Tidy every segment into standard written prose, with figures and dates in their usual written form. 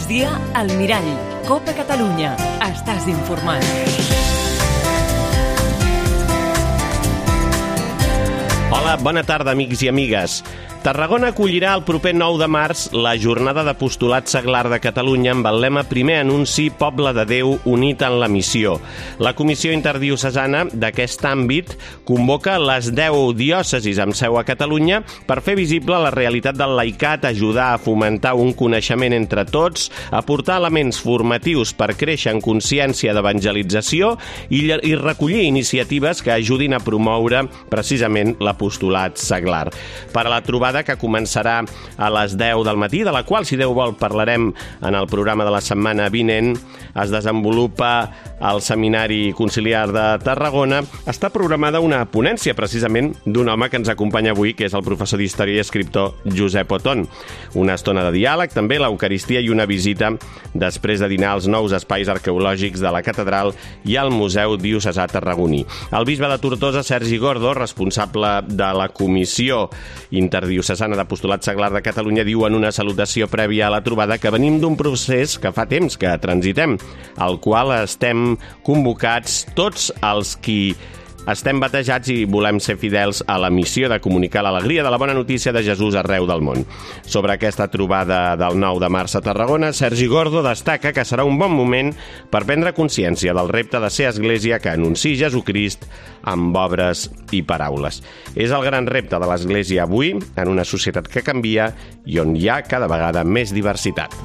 migdia, al Mirall. Copa Catalunya. Estàs informat. Hola, bona tarda, amics i amigues. Tarragona acollirà el proper 9 de març la jornada d'apostolat seglar de Catalunya amb el lema Primer anunci, poble de Déu unit en la missió. La Comissió Interdiocesana d'aquest àmbit convoca les 10 diòcesis amb seu a Catalunya per fer visible la realitat del laicat, ajudar a fomentar un coneixement entre tots, aportar elements formatius per créixer en consciència d'evangelització i recollir iniciatives que ajudin a promoure precisament l'apostolat seglar. Per a la trobada que començarà a les 10 del matí, de la qual, si Déu vol, parlarem en el programa de la setmana vinent, es desenvolupa al Seminari Conciliar de Tarragona. Està programada una ponència, precisament, d'un home que ens acompanya avui, que és el professor d'Història i escriptor Josep Oton. Una estona de diàleg, també l'Eucaristia i una visita després de dinar als nous espais arqueològics de la catedral i al Museu Diocesà Tarragoní. El bisbe de Tortosa, Sergi Gordo, responsable de la Comissió Interdiocesana d'Apostolat Seglar de Catalunya, diu en una salutació prèvia a la trobada que venim d'un procés que fa temps que transitem, al qual estem convocats tots els qui estem batejats i volem ser fidels a la missió de comunicar l'alegria de la bona notícia de Jesús arreu del món. Sobre aquesta trobada del 9 de març a Tarragona, Sergi Gordo destaca que serà un bon moment per prendre consciència del repte de ser església que anunciï Jesucrist amb obres i paraules. És el gran repte de l'església avui, en una societat que canvia i on hi ha cada vegada més diversitat.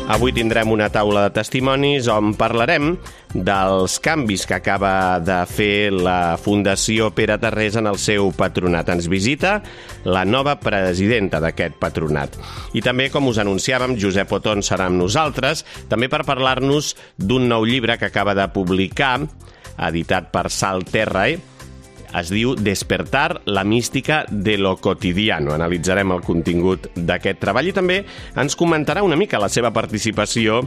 Avui tindrem una taula de testimonis on parlarem dels canvis que acaba de fer la Fundació Pere Tarrés en el seu patronat. Ens visita la nova presidenta d'aquest patronat. I també, com us anunciàvem, Josep Oton serà amb nosaltres, també per parlar-nos d'un nou llibre que acaba de publicar, editat per Salt Terra, es diu Despertar la mística de lo cotidiano. Analitzarem el contingut d'aquest treball i també ens comentarà una mica la seva participació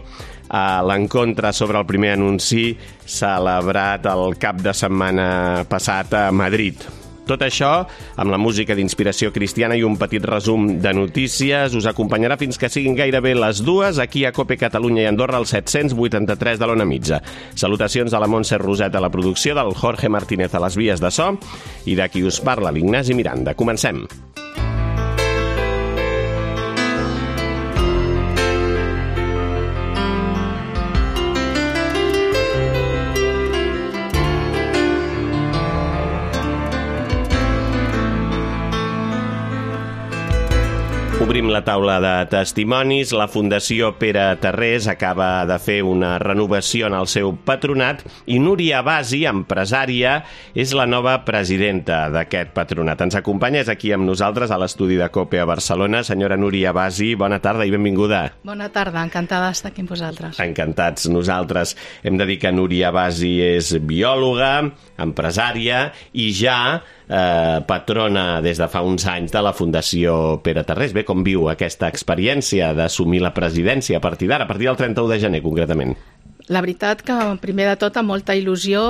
a l'encontre sobre el primer anunci celebrat el cap de setmana passat a Madrid. Tot això, amb la música d'inspiració cristiana i un petit resum de notícies, us acompanyarà fins que siguin gairebé les 2 aquí a Cope Catalunya i Andorra, al 783 de l'Ona Mitja. Salutacions a la Montse Roset a la producció, del Jorge Martínez a les vies de so i de qui us parla, l'Ignasi Miranda. Comencem. Obrim la taula de testimonis. La Fundació Pere Tarrés acaba de fer una renovació en el seu patronat i Núria Basi, empresària, és la nova presidenta d'aquest patronat. Ens acompanya, és aquí amb nosaltres a l'estudi de COPE a Barcelona. Senyora Núria Basi, bona tarda i benvinguda. Bona tarda, encantada d'estar aquí amb vosaltres. Encantats nosaltres. Hem de dir que Núria Basi és biòloga, empresària i ja patrona des de fa uns anys de la Fundació Pere Tarrés. Bé, com viu aquesta experiència d'assumir la presidència a partir d'ara, a partir del 31 de gener, concretament? La veritat que, primer de tot, amb molta il·lusió,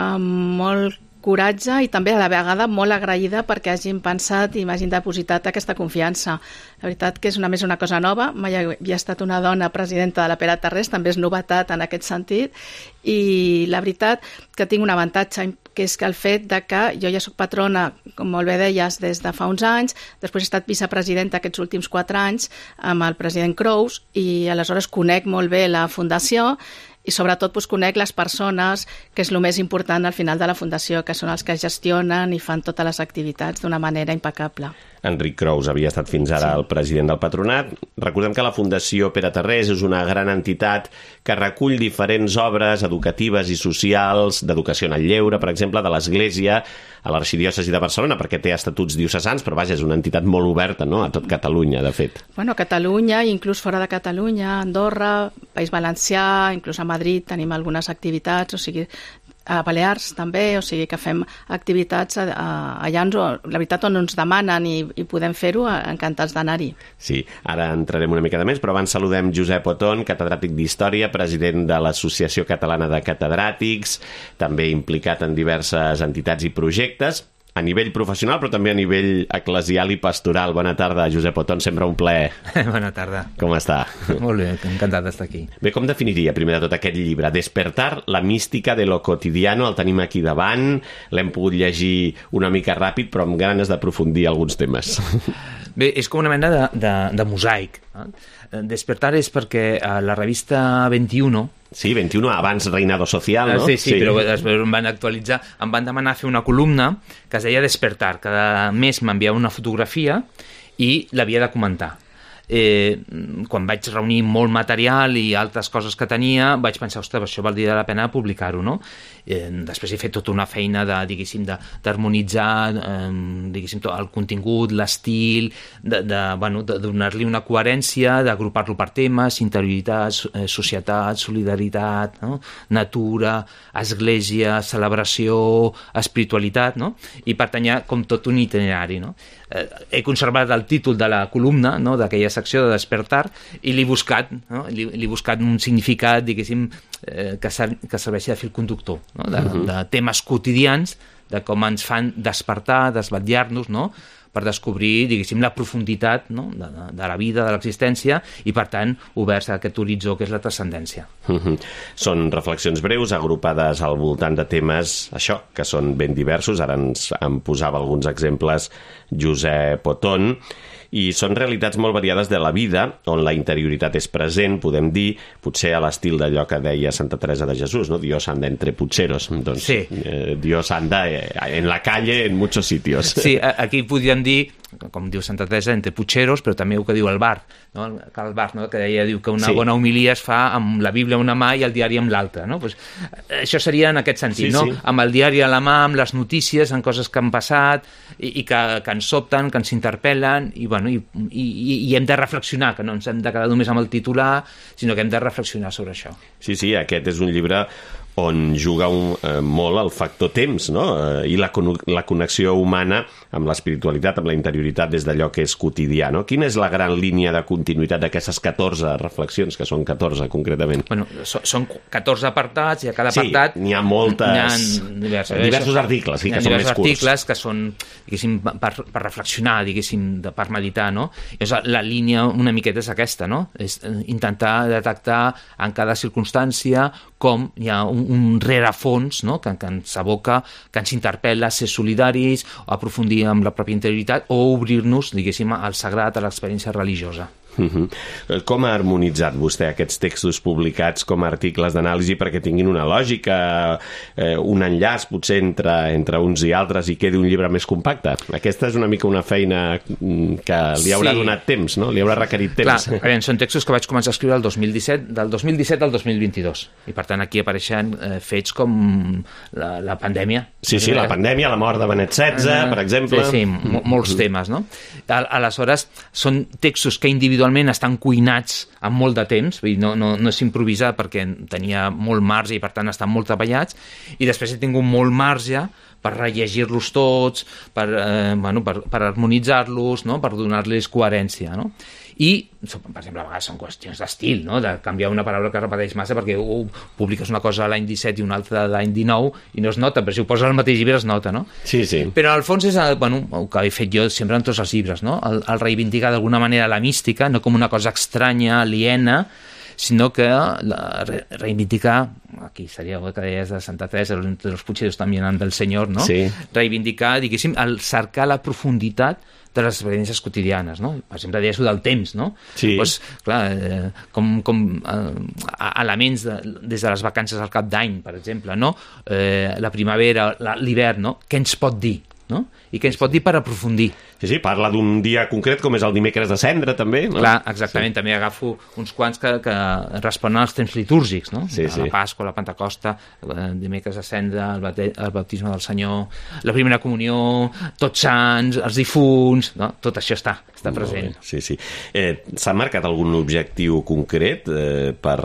amb molt coratge i també a la vegada molt agraïda perquè hagin pensat i m'hagin depositat aquesta confiança. La veritat que és més una cosa nova, mai havia estat una dona presidenta de la Pere Tarrés, també és novetat en aquest sentit, i la veritat que tinc un avantatge, que és que el fet de que jo ja soc patrona, com molt bé deies, des de fa uns anys, després he estat vicepresidenta aquests últims 4 anys amb el president Crous i aleshores conec molt bé la Fundació i sobretot conec les persones, que és el més important al final de la Fundació, que són els que gestionen i fan totes les activitats d'una manera impecable. Enric Crous havia estat fins ara el president del patronat. Recordem que la Fundació Pere Tarrés és una gran entitat que recull diferents obres educatives i socials, d'educació en el lleure, per exemple, de l'Església a l'Arxidiòcesi de Barcelona, perquè té estatuts diocesans, però vaja, és una entitat molt oberta, no?, a tot Catalunya, de fet. Bueno, a Catalunya, inclús fora de Catalunya, Andorra, País Valencià, inclús a Madrid tenim algunes activitats, o sigui, a Balears també, o sigui que fem activitats allà, la veritat, on ens demanen i podem fer-ho, encantats d'anar-hi. Sí, ara entrarem una mica de més, però abans saludem Josep Oton, catedràtic d'Història, president de l'Associació Catalana de Catedràtics, també implicat en diverses entitats i projectes. a nivell professional, però també a nivell eclesial i pastoral. Bona tarda, Josep Oton, sempre un plaer. Bona tarda. Com està? Molt bé, encantat d'estar aquí. Bé, com definiria, primer de tot, aquest llibre? Despertar la mística de lo cotidiano, el tenim aquí davant, l'hem pogut llegir una mica ràpid, però amb ganes d'aprofundir alguns temes. Bé, és com una mena de mosaic. Despertar és perquè a la revista 21... Sí, 21, abans Reinado Social, no? Sí, però després em van actualitzar, em van demanar fer una columna que es deia Despertar. Cada mes m'enviava una fotografia i l'havia de comentar. Quan vaig reunir molt material i altres coses que tenia, vaig pensar, ostres, això valdria la pena publicar-ho, no? Després he fet tota una feina d'harmonitzar el contingut, l'estil, de donar-li una coherència, d'agrupar-lo per temes, interioritat, societat, solidaritat, no? Natura, església, celebració, espiritualitat, no? I pertanyia com tot un itinerari, no? He conservat el títol de la columna, no? D'aquella secció de Despertar, i l'he buscat, no? L'he buscat un significat, diguéssim, que serveixi de fil conductor, no? De temes quotidians, de com ens fan despertar, desvetllar-nos, no? Per descobrir, diguéssim, la profunditat, no? de la vida, de l'existència, i, per tant, oberts a aquest horitzó que és la transcendència. Són reflexions breus, agrupades al voltant de temes, això, que són ben diversos. Ara ens en posava alguns exemples Josep Oton, i són realitats molt variades de la vida, on la interioritat és present, podem dir, potser a l'estil d'allò que deia Santa Teresa de Jesús, no? Dios anda entre pucheros. Doncs, sí. Dios anda en la calle en muchos sitios. Sí, aquí podríem dir, com diu Santa Teresa, entre pucheros, però també el que diu el bar, no? El bar, no? Que ella diu que una bona homilia es fa amb la Bíblia en una mà i el diari amb l'altra, no? Pues, això seria en aquest sentit, no? Sí. Amb el diari a la mà, amb les notícies, amb coses que han passat i que ens sobten, que ens interpel·len, i hem de reflexionar, que no ens hem de quedar només amb el titular, sinó que hem de reflexionar sobre això. Sí, aquest és un llibre on juga molt el factor temps, no? I la connexió humana amb l'espiritualitat, amb la interioritat des d'allò que és quotidià, no? Quina és la gran línia de continuïtat d'aquestes 14 reflexions, que són 14 concretament? Bueno, són 14 apartats, i a cada apartat... Sí, n'hi ha moltes... diversos articles, sí, que són més curts. Articles que són, diguéssim, per reflexionar, diguéssim, per meditar, no? Llavors, la línia una miqueta és aquesta, no? És intentar detectar en cada circumstància com hi ha un rerefons, no? que ens aboca, que ens interpel·la a ser solidaris, a aprofundir amb la pròpia interioritat o obrir-nos, diguéssim, al sagrat, a l'experiència religiosa. Com ha harmonitzat vostè aquests textos publicats com a articles d'anàlisi perquè tinguin una lògica, un enllaç potser entre uns i altres i quedi un llibre més compacte? Aquesta és una mica una feina que li haurà donat temps, no? Li haurà requerit temps. Clar, són textos que vaig començar a escriure el 2017, del 2017 al 2022, i per tant aquí apareixen fets com la pandèmia. Sí, la pandèmia, la mort de Benet XVI, per exemple. Sí, molts temes, no? Aleshores, són textos que individualment estan cuinats amb molt de temps, vull dir, no és improvisar perquè tenia molt marge i per tant estan molt treballats, i després he tingut molt marge per rellegir-los tots, per harmonitzar-los, no? Per donar-los coherència, no? I, per exemple, a vegades són qüestions d'estil, no? De canviar una paraula que repeteix massa perquè publiques una cosa l'any 17 i una altra l'any 19 i no es nota, però si ho poses al mateix llibre es nota, no? Sí. Però al fons és el que he fet jo sempre en tots els llibres, no? El reivindicar d'alguna manera la mística, no com una cosa estranya, aliena, sinó que reivindicar, aquí seria el que deies de Santa Teresa, los pucheros també del Senyor, no? Sí. Reivindicar, diguéssim, el cercar la profunditat de les experiències quotidianes, no? Per exemple, deies del temps, no? Sí. Pues, clar, com elements des de les vacances al cap d'any, per exemple, no? La primavera, l'hivern, no? Què ens pot dir, no? I què ens pot dir per aprofundir. Sí, parla d'un dia concret com és el dimecres de Cendra, també, no? Clar, exactament, sí. També agafo uns quants que responen als temps litúrgics, no? Sí. La Pasqua, la Pentecosta, el dimecres de Cendra, el baptisme del Senyor, la primera comunió, Tots Sants, els difunts, no? Tot això està present. Sí. S'ha marcat algun objectiu concret per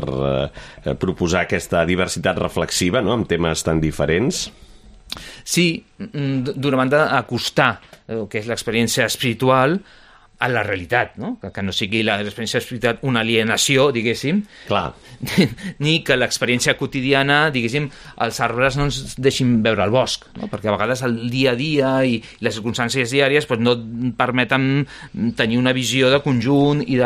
proposar aquesta diversitat reflexiva, no?, amb temes tan diferents? Sí, d'una banda, acostar el que és l'experiència espiritual a la realitat, no? Que no sigui l'experiència espiritual una alienació, diguéssim, Clar. ni que l'experiència quotidiana, diguéssim, els arbres no ens deixin veure el bosc, no? Perquè a vegades el dia a dia i les circumstàncies diàries no et permeten tenir una visió de conjunt i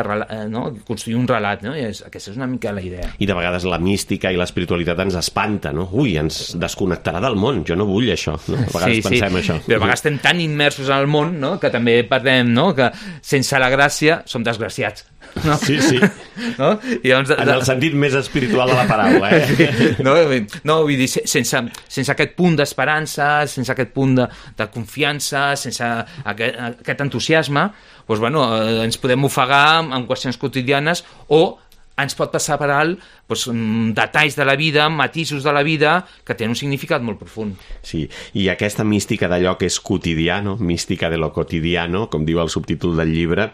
no? Construir un relat, no? I aquesta és una mica la idea. I de vegades la mística i l'espiritualitat ens espanta, no? Ui, ens desconnectarà del món, jo no vull això, no? A vegades pensem això. Però a vegades estem tan immersos en el món, no? Que també perdem, no? Que sense la gràcia som desgraciats. No? Sí. No? I llavors, en el sentit més espiritual de la paraula, No, vull dir, sense aquest punt d'esperança, sense aquest punt de confiança, sense aquest entusiasme, doncs, bueno, ens podem ofegar en qüestions quotidianes o ens pot passar per alt detalls de la vida, matisos de la vida que tenen un significat molt profund. Sí, i aquesta mística d'allò que és quotidiano, mística de lo cotidiano, com diu el subtítol del llibre,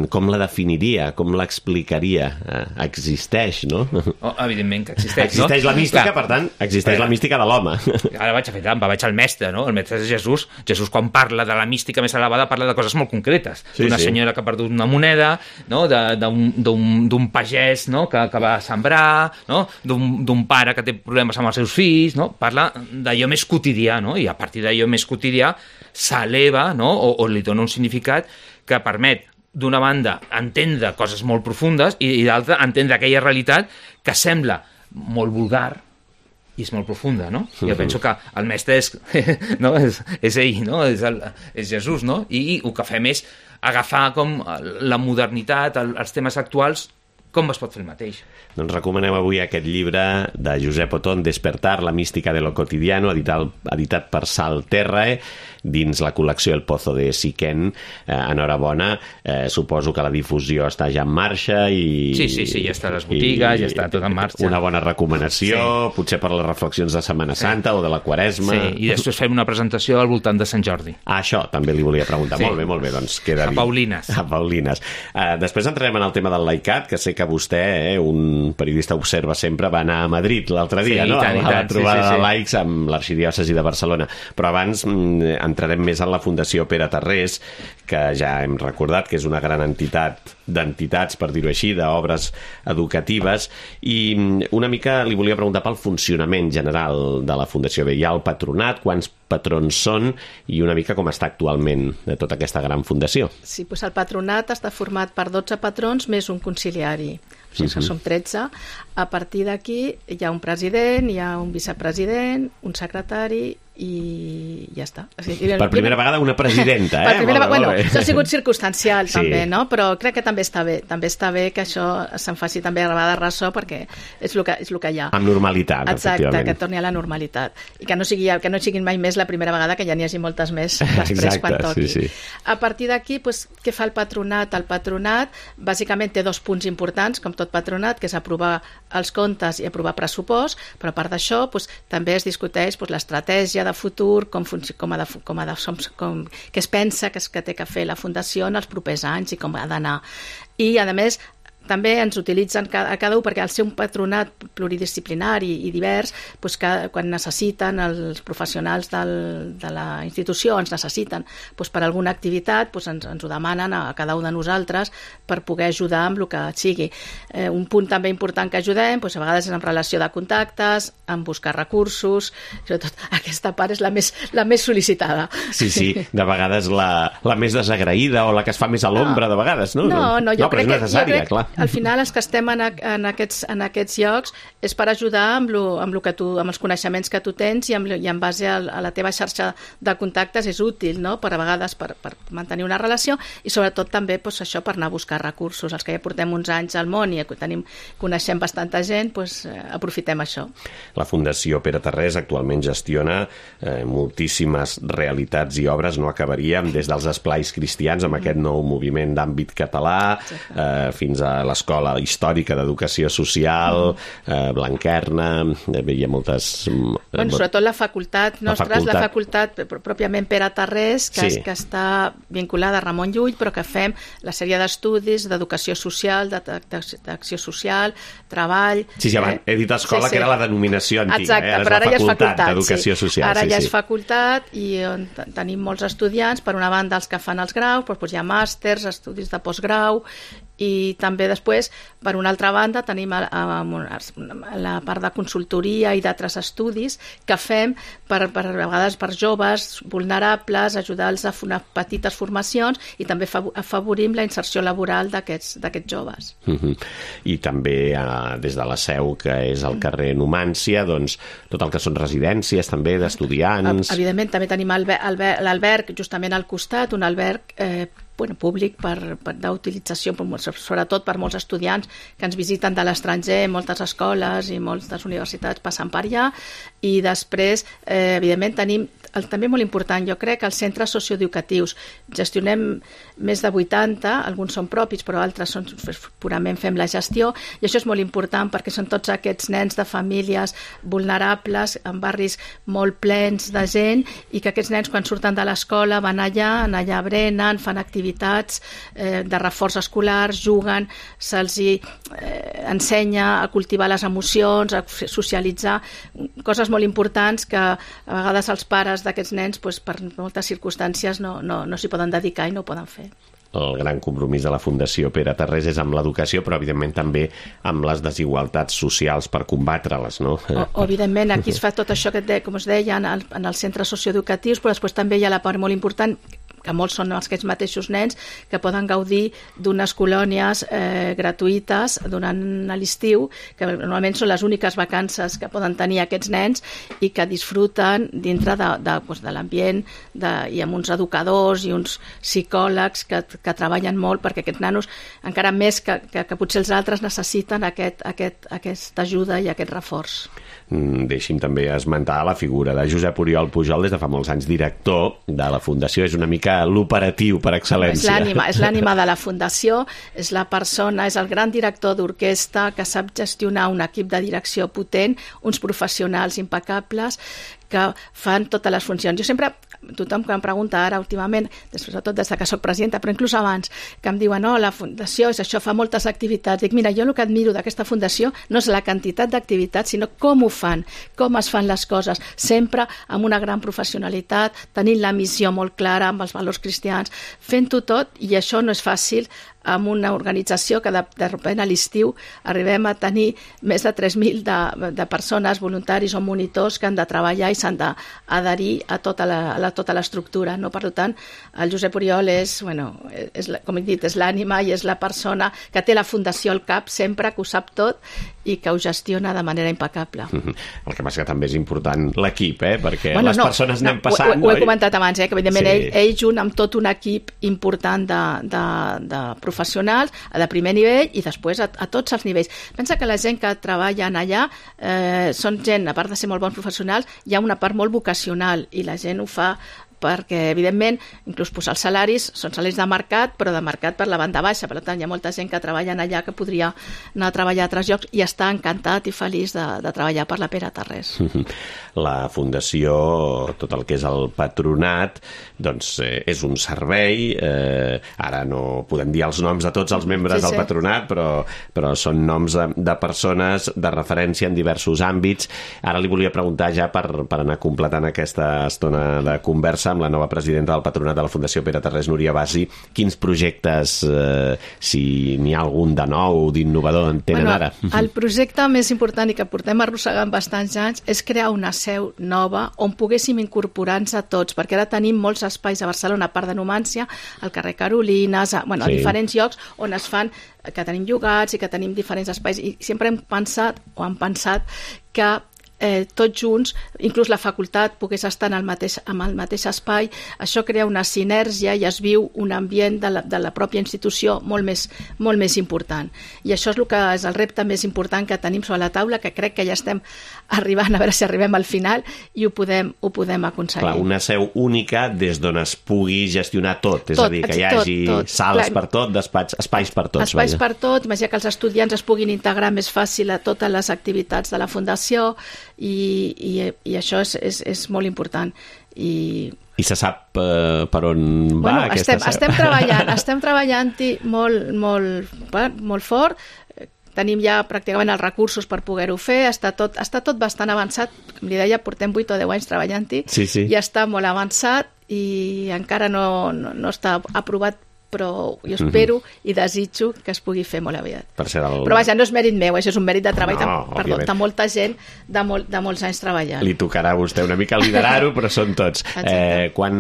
com la definiria, com l'explicaria? Existeix, no? Oh, evidentment que existeix, no? Existeix la mística, per tant, existeix la mística de l'home. Ara vaig a fer trampa, vaig al mestre, no? El mestre és Jesús. Jesús, quan parla de la mística més elevada, parla de coses molt concretes. D'una senyora que ha perdut una moneda, no? D'un pagès, no? que va sembrar, no? D'un pare que té problemes amb els seus fills, no? Parla d'allò més quotidià, no? I a partir d'allò més quotidià s'eleva, no? o li dona un significat que permet d'una banda entendre coses molt profundes i d'altra entendre aquella realitat que sembla molt vulgar i és molt profunda, no? Jo penso que el mestre és ell, no? És Jesús, no? I el que fem és agafar com la modernitat, els temes actuals, com es pot fer el mateix. Doncs recomanem avui aquest llibre de Josep Otón, Despertar, la mística de lo cotidiano, editat per Sal Terrae, dins la col·lecció El Pozo de Siquén. Enhorabona, suposo que la difusió està ja en marxa i... Sí, ja està a les botigues, ja està tot en marxa. Una bona recomanació, potser per les reflexions de Setmana Santa o de la Quaresma. Sí, i després fem una presentació al voltant de Sant Jordi. Això també li volia preguntar. Sí. Molt bé, doncs queda dit. A Paulines. Després entrarem en el tema del laicat, que sé que vostè, un periodista observa sempre, va anar a Madrid l'altre dia, no? A la trobada de laics amb l'arxidiòcesi de Barcelona. Però abans entrarem més en la Fundació Pere Tarrés, que ja hem recordat que és una gran entitat d'entitats, per dir-ho així, d'obres educatives, i una mica li volia preguntar pel funcionament general de la Fundació. Bé, hi ha el patronat, quants patrons són i una mica com està actualment de tota aquesta gran fundació. Sí, doncs el patronat està format per 12 patrons més un conciliari. O sigui que som 13. A partir d'aquí hi ha un president, hi ha un vicepresident, un secretari i ja està. O sigui, per primera vegada una presidenta, Per primera vegada, bueno, això ha sigut circumstancial també, no? Però crec que també està bé. També està bé que això se'n faci també a de ressò perquè és el que hi ha. Amb normalitat, exacte, efectivament. que torni a la normalitat. I que no siguin mai més la primera vegada, que ja n'hi hagi moltes més després quan toqui. Sí. A partir d'aquí, doncs, què fa el patronat? El patronat bàsicament té 2 punts importants, com tot patronat, que és aprovar els comptes i aprovar pressupost, però a part d'això també es discuteix l'estratègia de futur, què es pensa que té que fer la Fundació en els propers anys i com ha d'anar. I, a més, també ens utilitzen a cada un perquè al ser un patronat pluridisciplinari i divers, doncs quan necessiten els professionals de la institució, ens necessiten per alguna activitat, ens ho demanen a cada un de nosaltres per poder ajudar amb el que sigui. Un punt també important que ajudem, a vegades és en relació de contactes, en buscar recursos, sobretot aquesta part és la més sol·licitada. Sí, de vegades la més desagraïda o la que es fa més a l'ombra, de vegades, no? No, jo crec és necessària, clar. Al final els que estem en aquests llocs és per ajudar amb els coneixements que tu tens i en base a la teva xarxa de contactes és útil, no? Per a vegades per mantenir una relació i sobretot també això per anar a buscar recursos. Els que ja portem uns anys al món i coneixem bastanta gent, aprofitem això. La Fundació Pere Tarrés actualment gestiona moltíssimes realitats i obres, no acabaríem, des dels esplais cristians amb aquest nou moviment d'àmbit català fins a l'escola històrica d'educació social, Blanquerna, hi ha moltes... Bueno, sobretot la facultat nostra és la facultat pròpiament Pere Tarrés, que està vinculada a Ramon Llull, però que fem la sèrie d'estudis d'educació social, d'acció social, treball... Sí, he dit escola, que era la denominació antiga. Exacte, però ara ja és facultat d'educació social. Ara ja és facultat i on tenim molts estudiants, per una banda els que fan els graus, doncs hi ha màsters, estudis de postgrau, i també després, per una altra banda, tenim la part de consultoria i d'altres estudis que fem a vegades per joves vulnerables, ajudar-los a fer unes petites formacions i també afavorim la inserció laboral d'aquests joves. I també des de la seu, que és al carrer Numància, doncs tot el que són residències també d'estudiants. Evidentment, també tenim l'alberg justament al costat, un alberg públic d'utilització, sobretot per molts estudiants que ens visiten de l'estranger, moltes escoles i moltes universitats passen per allà, i després, evidentment, tenim també molt important, jo crec, els centres socioeducatius. Gestionem més de 80, alguns són propis, però altres purament fem la gestió, i això és molt important perquè són tots aquests nens de famílies vulnerables, en barris molt plens de gent, i que aquests nens, quan surten de l'escola, van allà brenen, fan activitats de reforç escolar, juguen, se'ls ensenya a cultivar les emocions, a socialitzar, coses molt importants que a vegades els pares d'aquests nens, per moltes circumstàncies, no s'hi poden dedicar i no ho poden fer. El gran compromís de la Fundació Pere Tarrés és amb l'educació, però evidentment també amb les desigualtats socials per combatre-les, no? Evidentment, aquí es fa tot això que, com us deia, en els centres socioeducatius, però després també hi ha la part molt important, que molts són aquests mateixos nens que poden gaudir d'unes colònies gratuïtes durant l'estiu, que normalment són les úniques vacances que poden tenir aquests nens i que disfruten dintre de l'ambient i amb uns educadors i uns psicòlegs que treballen molt perquè aquests nanos, encara més que potser els altres, necessiten aquesta ajuda i aquest reforç. Deixi'm també esmentar la figura de Josep Oriol Pujol, des de fa molts anys director de la Fundació. És una mica l'operatiu per excel·lència. És l'ànima de la Fundació, és la persona, és el gran director d'orquestra que sap gestionar un equip de direcció potent, uns professionals impecables que fan totes les funcions. Jo sempre, tothom que em pregunta ara últimament, sobretot des que soc presidenta, però inclús abans, que em diuen, la Fundació és això, fa moltes activitats. Dic, mira, jo el que admiro d'aquesta Fundació no és la quantitat d'activitats, sinó com ho fan, com es fan les coses, sempre amb una gran professionalitat, tenint la missió molt clara, amb els valors cristians, fent-ho tot, i això no és fàcil amb una organització que de sobte a l'estiu arribem a tenir més de 3.000 de persones, voluntaris o monitors que han de treballar i s'han d'adherir a tota l'estructura. No? Per tant, el Josep Oriol com he dit, és l'ànima i és la persona que té la Fundació al cap sempre, que ho sap tot i que ho gestiona de manera impecable. El que passa que també és important l'equip, perquè les persones anem passant... Ho he comentat abans, que evidentment ell junt amb tot un equip important de professionals, de primer nivell i després a tots els nivells. Pensa que la gent que treballen allà són gent, a part de ser molt bons professionals, hi ha una part molt vocacional i la gent ho fa perquè, evidentment, inclús els salaris són salaris de mercat, però de mercat per la banda baixa. Per tant, hi ha molta gent que treballa allà que podria anar a treballar a altres llocs i està encantat i feliç de treballar per la Pere Tarrés. La Fundació, tot el que és el patronat, doncs és un servei. Ara no podem dir els noms de tots els membres del patronat, però són noms de persones de referència en diversos àmbits. Ara li volia preguntar ja per anar completant aquesta estona de conversa amb la nova presidenta del patronat de la Fundació Pere Tarrés, Núria Basi, quins projectes, si n'hi ha algun de nou, d'innovador, en tenen ara? El projecte més important i que portem arrossegant bastants anys és crear una seu nova on poguéssim incorporar-nos a tots, perquè ara tenim molts espais a Barcelona, a part de Numància, al carrer Carolines, a diferents llocs on es fan, que tenim llogats i que tenim diferents espais, i sempre hem pensat que tots junts, inclús la facultat pogués estar en el mateix espai, això crea una sinergia i es viu un ambient de la pròpia institució molt més important. I això és el que és el repte més important que tenim sobre la taula, que crec que ja estem arribant, a veure si arribem al final i ho podem aconseguir. Clar, una seu única des d'on es pugui gestionar tot, és a dir, que hi hagi sales per tot, espais per tots. Espais per tot, imagina que els estudiants es puguin integrar més fàcil a totes les activitats de la Fundació i això és molt important. I se sap per on va aquesta seu? Estem treballant-hi molt fort. Tenim ja pràcticament els recursos per poder-ho fer, està tot bastant avançat, com li deia, portem 8 o 10 anys treballant-hi, i està molt avançat i encara no està aprovat, però jo espero i desitjo que es pugui fer molt aviat. Però vaja, no és mèrit meu, això és un mèrit de treball de molta gent, de molts anys treballant. Li tocarà a vostè una mica liderar-ho, però són tots. Quant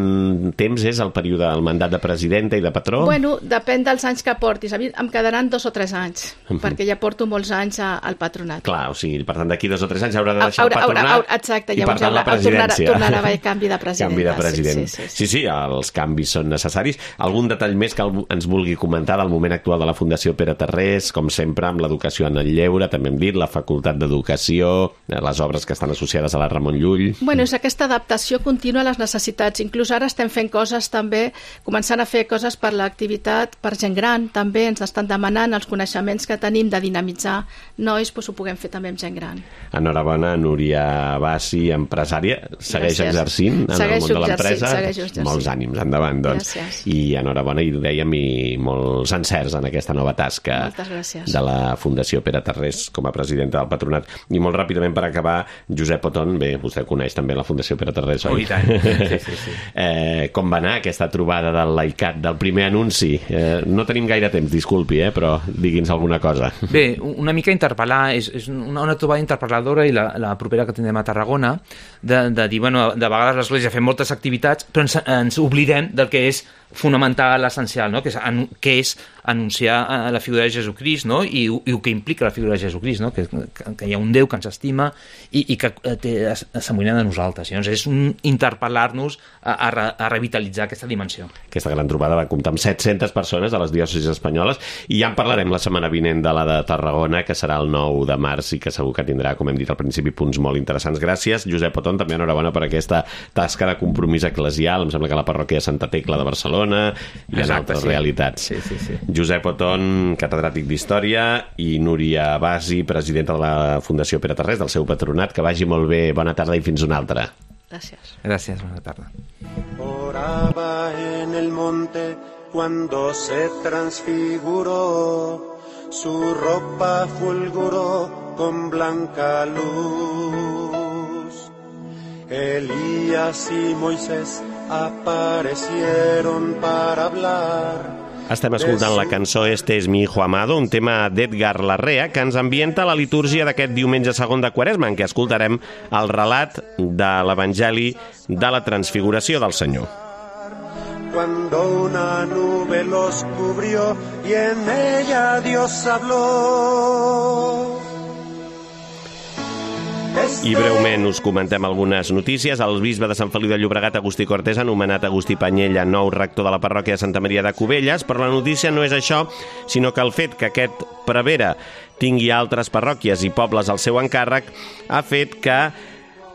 temps és el període, el mandat de presidenta i de patró? Bueno, depèn dels anys que portis. A mi em quedaran 2 o 3 anys, perquè ja porto molts anys al patronat. Clar, o sigui, per tant, d'aquí 2 o 3 anys haurà de deixar el patronat. Exacte, i per tant la presidència. Tornarà a haver canvi de president. Sí, els canvis són necessaris. Algun detall més que ens vulgui comentar del moment actual de la Fundació Pere Tarrés, com sempre amb l'educació en el lleure, també hem dit, la Facultat d'Educació, les obres que estan associades a la Ramon Llull. Bueno, és aquesta adaptació contínua a les necessitats. Inclús ara estem fent coses també, començant a fer coses per l'activitat, per gent gran, també ens estan demanant els coneixements que tenim de dinamitzar nois, doncs ho puguem fer també amb gent gran. Enhorabona, Núria Bassi, empresària, segueix exercint en el món de l'empresa. Molts ànims, endavant, doncs. Gràcies. I enhorabona, i dèiem, i molts encerts en aquesta nova tasca de la Fundació Pere Tarrés com a presidenta del patronat. I molt ràpidament per acabar, Josep Oton, bé, vostè coneix també la Fundació Pere Tarrés, oi? I tant. Sí. Com va anar aquesta trobada del LAICAT, del primer anunci? No tenim gaire temps, disculpi, però digui'ns alguna cosa. Bé, una mica interpel·lar, és una trobada interpel·ladora, i la propera que tindrem a Tarragona, de dir, bueno, de vegades l'Església fem moltes activitats, però ens oblidem del que és fonamental, essencial, no? que és anunciar la figura de Jesucrist, no? I el que implica la figura de Jesucrist, no? Que hi ha un Déu que ens estima i que s'amoïna de nosaltres. Llavors és interpel·lar-nos a revitalitzar aquesta dimensió. Aquesta gran trobada va comptar amb 700 persones a les diòcesis espanyoles, i ja en parlarem la setmana vinent de la de Tarragona, que serà el 9 de març i que segur que tindrà, com hem dit al principi, punts molt interessants. Gràcies, Josep Oton, també enhorabona per aquesta tasca de compromís eclesial. Em sembla que la parròquia de Santa Tecla de Barcelona i en altres realitats. Sí. Josep Oton, catedràtic d'Història, i Núria Bassi, presidenta de la Fundació Pere Tarrés, del seu patronat. Que vagi molt bé, bona tarda i fins una altra. Gràcies, bona tarda. Oraba en el monte cuando se transfiguró, su ropa fulguró con blanca luz. Elías y Moisés aparecieron para hablar. Estem escoltant la cançó Este es mi hijo amado, un tema d'Edgar Larrea, que ens ambienta la litúrgia d'aquest diumenge segon de Quaresma, en què escoltarem el relat de l'Evangeli de la Transfiguració del Senyor. Cuando una nube los cubrió y en ella Dios habló. I breument us comentem algunes notícies. El bisbe de Sant Feliu de Llobregat, Agustí Cortés, ha nomenat Agustí Panyella nou rector de la parròquia de Santa Maria de Cubelles, però la notícia no és això, sinó que el fet que aquest prevere tingui altres parròquies i pobles al seu encàrrec ha fet que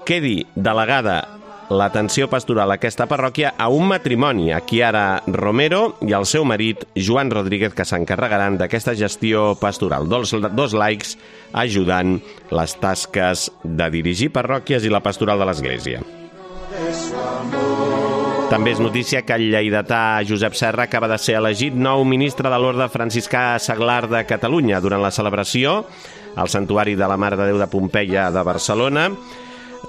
quedi delegada l'atenció pastoral a aquesta parròquia a un matrimoni, a Chiara Romero i el seu marit, Joan Rodríguez, que s'encarregaran d'aquesta gestió pastoral. Dos laics ajudant les tasques de dirigir parròquies i la pastoral de l'Església. També és notícia que el lleidatà Josep Serra acaba de ser elegit nou ministre de l'Orde Franciscà Seglar de Catalunya durant la celebració al Santuari de la Mare de Déu de Pompeia de Barcelona.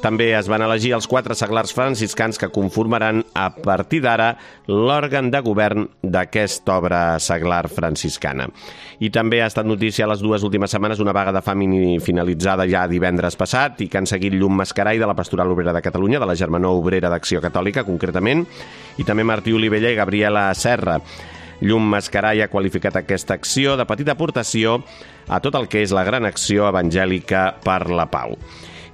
També es van elegir els 4 seglars franciscans que conformaran a partir d'ara l'òrgan de govern d'aquesta obra seglar franciscana. I també ha estat notícia les 2 últimes setmanes una vaga de fam finalitzada ja divendres passat i que han seguit Llum Mascarai de la Pastoral Obrera de Catalunya, de la Germanor Obrera d'Acció Catòlica concretament, i també Martí Olivella i Gabriela Serra. Llum Mascarai ha qualificat aquesta acció de petita aportació a tot el que és la gran acció evangèlica per la pau.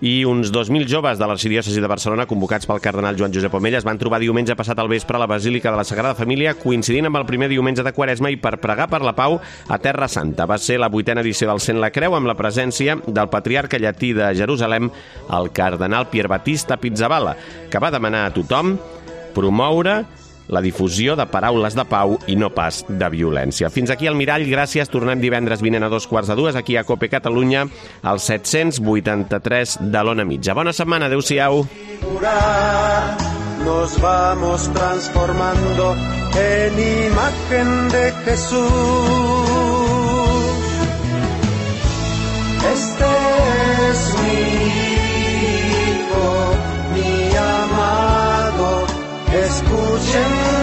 i uns 2.000 joves de l'arxidiòcesi de Barcelona, convocats pel cardenal Joan Josep Omella, es van trobar diumenge passat al vespre a la Basílica de la Sagrada Família, coincidint amb el primer diumenge de Quaresma i per pregar per la pau a Terra Santa. Va ser la 8a edició del Cent la Creu amb la presència del patriarca llatí de Jerusalem, el cardenal Pier Battista Pizzaballa, que va demanar a tothom promoure la difusió de paraules de pau i no pas de violència. Fins aquí el Mirall, gràcies. Tornem divendres vinent a 2:15 aquí a COPE Catalunya, al 783 de l'Ona Mitja. Bona setmana, adeu-siau. Nos vamos transformando en imagen de Jesús. Este es mi Hijo, mi amado, escuchen